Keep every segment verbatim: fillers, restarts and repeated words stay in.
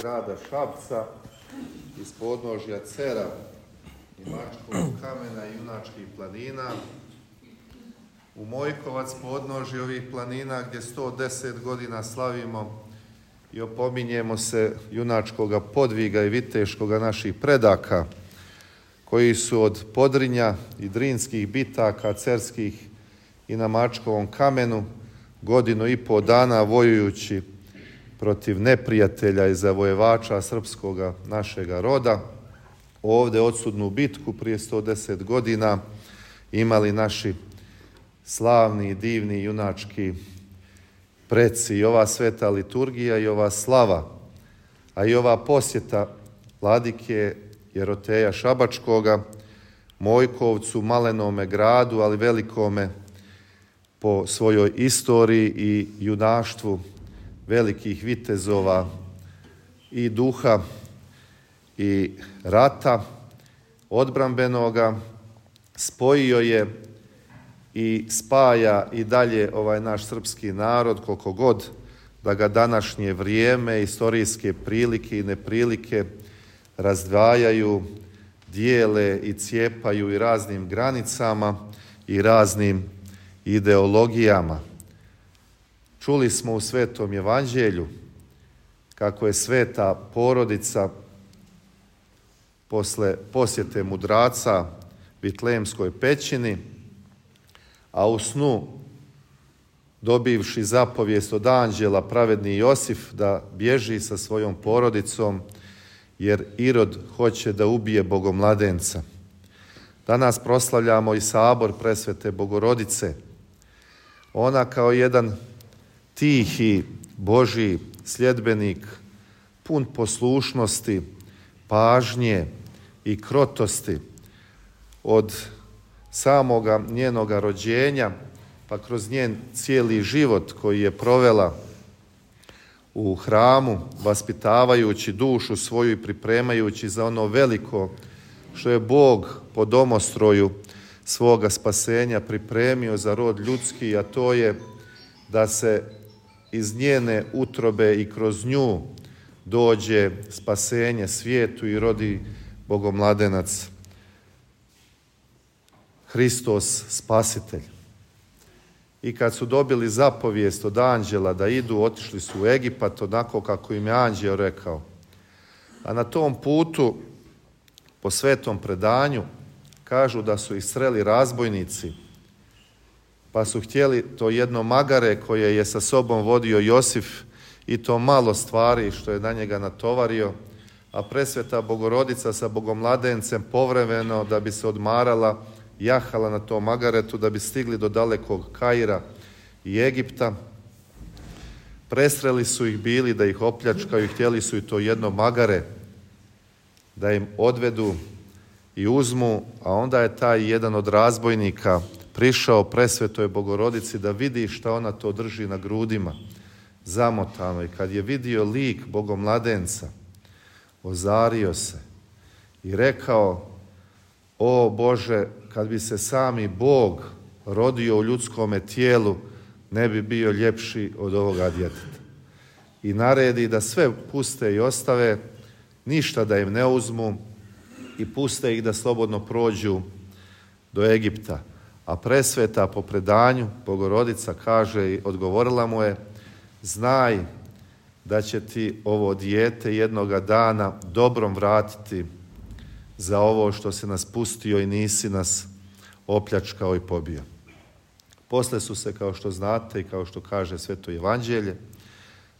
grada Šapca, iz podnožja Cera i Mačkovog kamena i Junačkih planina, u Mojkovac, podnožje ovih planina gdje sto deset godina slavimo i opominjemo se junačkoga podviga i viteškoga naših predaka, koji su od Podrinja i Drinskih bitaka cerskih i na Mačkovom kamenu godinu i pol dana vojujući protiv neprijatelja i zavojevača srpskoga našega roda, ovdje odsudnu bitku prije sto deset godina imali naši slavni, divni, junački preci. I ova sveta liturgija i ova slava, a i ova posjeta vladike Jeroteja Šabačkoga, Mojkovcu, malenome gradu, ali velikome po svojoj istoriji i junaštvu velikih vitezova i duha i rata odbrambenoga, spojio je i spaja i dalje ovaj naš srpski narod, koliko god da ga današnje vrijeme, istorijske prilike i neprilike razdvajaju, dijele i cijepaju i raznim granicama i raznim ideologijama. Čuli smo u Svetom evanđelju kako je sveta porodica posle posjete mudraca Vitlejemskoj pećini, a u snu dobivši zapovijest od anđela pravedni Josif da bježi sa svojom porodicom jer Irod hoće da ubije Bogomladenca. Danas proslavljamo i sabor presvete Bogorodice. Ona kao jedan tihi Božji sljedbenik, pun poslušnosti, pažnje i krotosti od samoga njenoga rođenja, pa kroz njen cijeli život koji je provela u hramu, vaspitavajući dušu svoju i pripremajući za ono veliko što je Bog po domostroju svoga spasenja pripremio za rod ljudski, a to je da se iz njene utrobe i kroz nju dođe spasenje svijetu i rodi Bogomladenac, Hristos spasitelj. I kad su dobili zapovijest od anđela da idu, otišli su u Egipat onako kako im je anđeo rekao. A na tom putu, po svetom predanju, kažu da su ih sreli razbojnici, pa su htjeli to jedno magare koje je sa sobom vodio Josif i to malo stvari što je na njega natovario, a presveta Bogorodica sa Bogomladencem povremeno da bi se odmarala, jahala na tom magaretu da bi stigli do dalekog Kaira i Egipta. Presreli su ih bili da ih opljačkaju i htjeli su i to jedno magare da im odvedu i uzmu, a onda je taj jedan od razbojnika prišao presvetoj Bogorodici da vidi šta ona to drži na grudima, zamotano. I kad je vidio lik Bogomladenca, ozario se i rekao: o Bože, kad bi se sami Bog rodio u ljudskome tijelu, ne bi bio ljepši od ovoga djeteta. I naredi da sve puste i ostave, ništa da im ne uzmu i puste ih da slobodno prođu do Egipta. A presveta po predanju Bogorodica kaže i odgovorila mu je: znaj da će ti ovo dijete jednoga dana dobrom vratiti za ovo što si nas pustio i nisi nas opljačkao i pobio. Posle su se, kao što znate i kao što kaže Sveto evanđelje,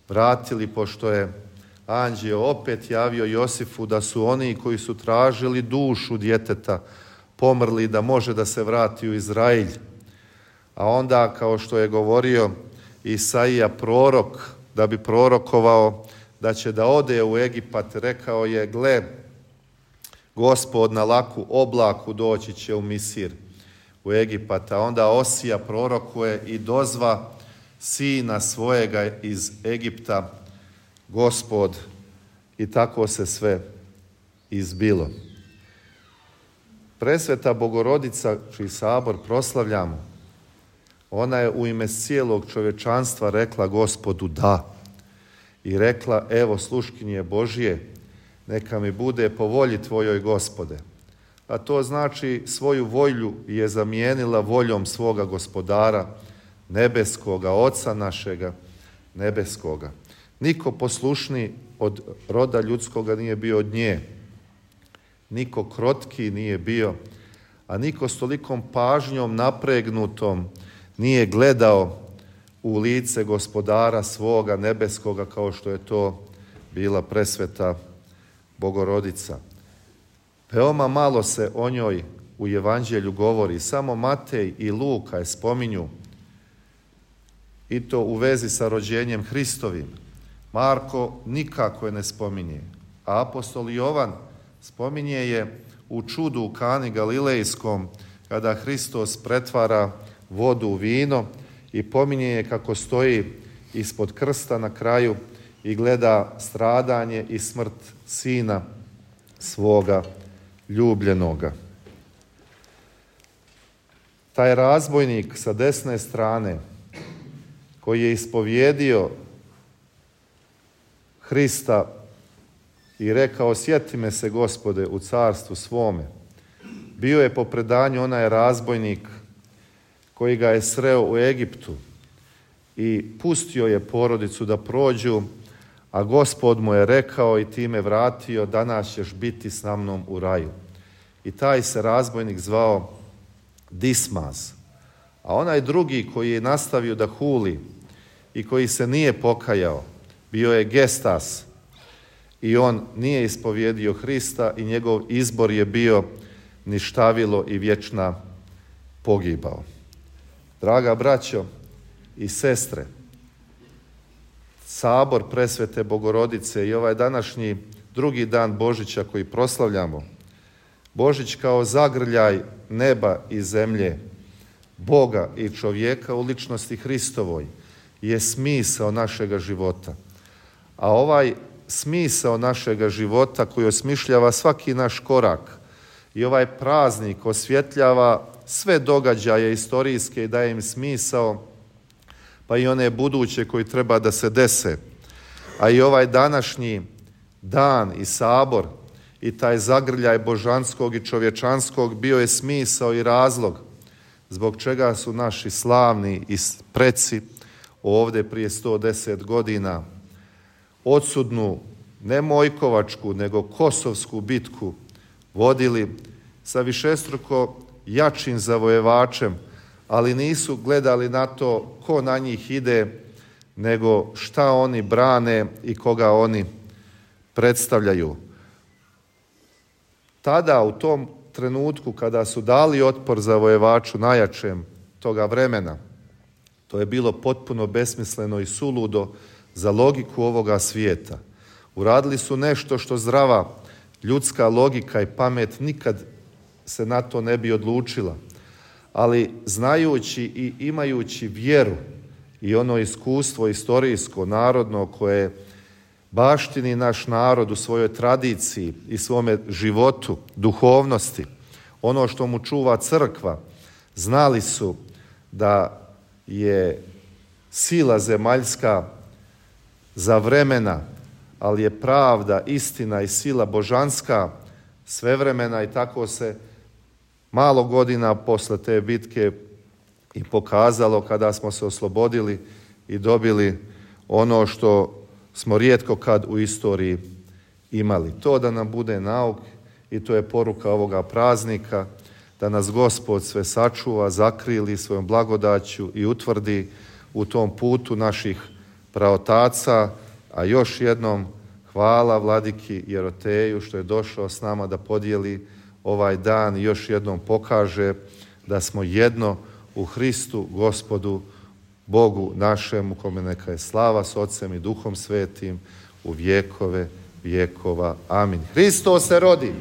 vratili, pošto je anđeo opet javio Josifu da su oni koji su tražili dušu djeteta pomrli, da može da se vrati u Izrailj. A onda, kao što je govorio Isaija prorok, da bi prorokovao da će da ode u Egipat, rekao je: gle, Gospod na laku oblaku doći će u Misir, u Egipat. A onda Osija prorokuje i dozva sina svojega iz Egipta Gospod, i tako se sve izbilo. Presveta Bogorodica, čiji sabor proslavljamo, ona je u ime cijelog čovječanstva rekla Gospodu da. i rekla: evo sluškinje Božje, neka mi bude po volji tvojoj, Gospode. A to znači svoju volju je zamijenila voljom svoga Gospodara, nebeskoga, Oca našega nebeskoga. Niko poslušniji od roda ljudskoga nije bio od nje. Niko krotki nije bio, a niko s tolikom pažnjom napregnutom nije gledao u lice Gospodara svoga nebeskoga kao što je to bila presveta Bogorodica. Veoma malo se o njoj u Evanđelju govori, samo Matej i Luka je spominju, i to u vezi sa rođenjem Hristovim. Marko nikako je ne spominje, a apostol Jovan spominje je u čudu u Kani Galilejskom, kada Hristos pretvara vodu u vino i pominje je kako stoji ispod krsta na kraju i gleda stradanje i smrt sina svoga ljubljenoga. Taj razbojnik sa desne strane koji je ispovjedio Hrista i rekao: sjeti me se, Gospode, u carstvu svome, bio je po predanju onaj razbojnik koji ga je sreo u Egiptu i pustio je porodicu da prođu, a Gospod mu je rekao i time vratio: danas ćeš biti s mnom u raju. I taj se razbojnik zvao Dismas. A onaj drugi koji je nastavio da huli i koji se nije pokajao, bio je Gestas, i on nije ispovjedio Hrista i njegov izbor je bio ništavilo i vječna pogibao. Draga braćo i sestre, sabor presvete Bogorodice i ovaj današnji drugi dan Božića koji proslavljamo, Božić kao zagrljaj neba i zemlje, Boga i čovjeka u ličnosti Hristovoj, je smisao našega života. A ovaj smisao našega života koji osmišljava svaki naš korak i ovaj praznik osvjetljava sve događaje istorijske i daje im smisao, pa i one buduće koji treba da se dese. A i ovaj današnji dan i sabor i taj zagrljaj božanskog i čovječanskog bio je smisao i razlog zbog čega su naši slavni i preci ovdje prije sto deset godina odsudnu, ne Mojkovačku, nego Kosovsku bitku vodili sa višestruko jačim zavojevačem, ali nisu gledali na to ko na njih ide, nego šta oni brane i koga oni predstavljaju. Tada, u tom trenutku kada su dali otpor zavojevaču najjačem toga vremena, to je bilo potpuno besmisleno i suludo za logiku ovoga svijeta. Uradili su nešto što zdrava ljudska logika i pamet nikad se na to ne bi odlučila. Ali znajući i imajući vjeru i ono iskustvo istorijsko, narodno, koje baštini naš narod u svojoj tradiciji i svome životu, duhovnosti, ono što mu čuva crkva, znali su da je sila zemaljska za vremena, ali je pravda, istina i sila božanska svevremena, i tako se malo godina posle te bitke i pokazalo kada smo se oslobodili i dobili ono što smo rijetko kad u istoriji imali. To da nam bude nauk i to je poruka ovoga praznika, da nas Gospod sve sačuva, zakrili svojom blagodaću i utvrdi u tom putu naših praotaca, a još jednom hvala vladiki Jeroteju što je došao s nama da podijeli ovaj dan i još jednom pokaže da smo jedno u Hristu Gospodu Bogu našemu, kome neka je slava s Otcem i Duhom Svetim u vjekove vjekova. Amin. Hristos se rodi!